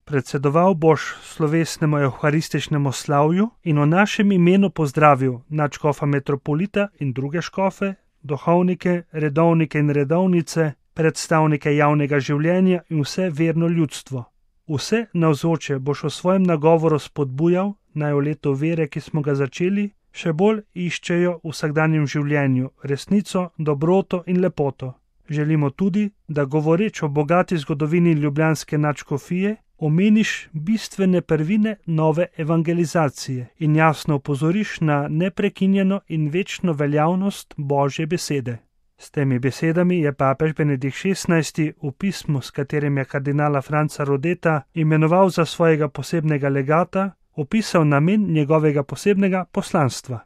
Predsedoval boš slovesnemu evharističnemu slavju in v našem imenu pozdravil nadškofa metropolita in druge škofe, duhovnike, redovnike in redovnice, predstavnike javnega življenja in vse verno ljudstvo. Vse navzoče boš v svojem nagovoru spodbujal, naj v letu vere, ki smo ga začeli, še bolj iščejo v vsakdanjem življenju resnico, dobroto in lepoto. Želimo tudi, da govoreč o bogati zgodovini ljubljanske nadškofije, omeniš bistvene prvine nove evangelizacije in jasno opozoriš na neprekinjeno in večno veljavnost Božje besede. S temi besedami je papež Benedikt XVI v pismu, s katerim je kardinala Franca Rodeta imenoval za svojega posebnega legata, opisal namen njegovega posebnega poslanstva.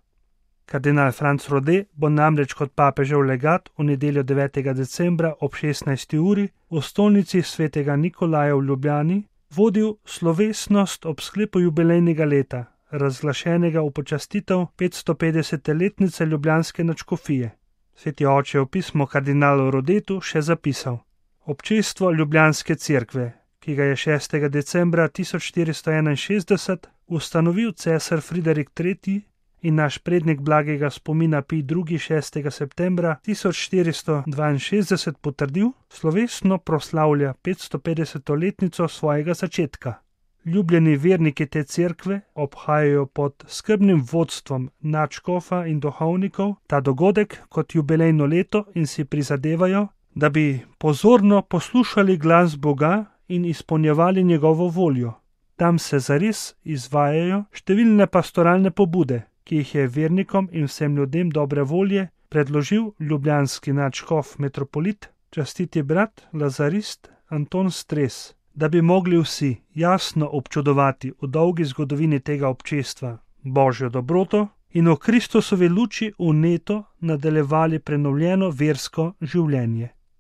Kardinal Franc Rode bo namreč kot papežev legat v nedeljo 9. decembra ob 16. uri v stolnici svetega Nikolaja v Ljubljani vodil slovesnost ob sklepu jubilejnega leta, razglašenega v počastitev 550. letnice ljubljanske nadškofije. Sveti oče je v pismu kardinalu Rodetu še zapisal: Občestvo ljubljanske cerkve, ki ga je 6. decembra 1461 ustanovil cesar Friderik III. In naš prednik blagega spomina Pij II. 6. septembra 1462 potrdil, slovesno proslavlja 550. letnico svojega začetka. Ljubljeni verniki te cerkve obhajajo pod skrbnim vodstvom nadškofa in duhovnikov ta dogodek kot jubilejno leto in si prizadevajo, da bi pozorno poslušali glas Boga in izpolnjevali njegovo voljo. Tam se zares izvajajo številne pastoralne pobude, ki jih je vernikom in vsem ljudem dobre volje predložil ljubljanski nadškof metropolit, častiti brat lazarist Anton Stres, da bi mogli vsi jasno občudovati v dolgi zgodovini tega občestva Božjo dobroto in v Kristusovi luči vneto nadaljevali prenovljeno versko življenje.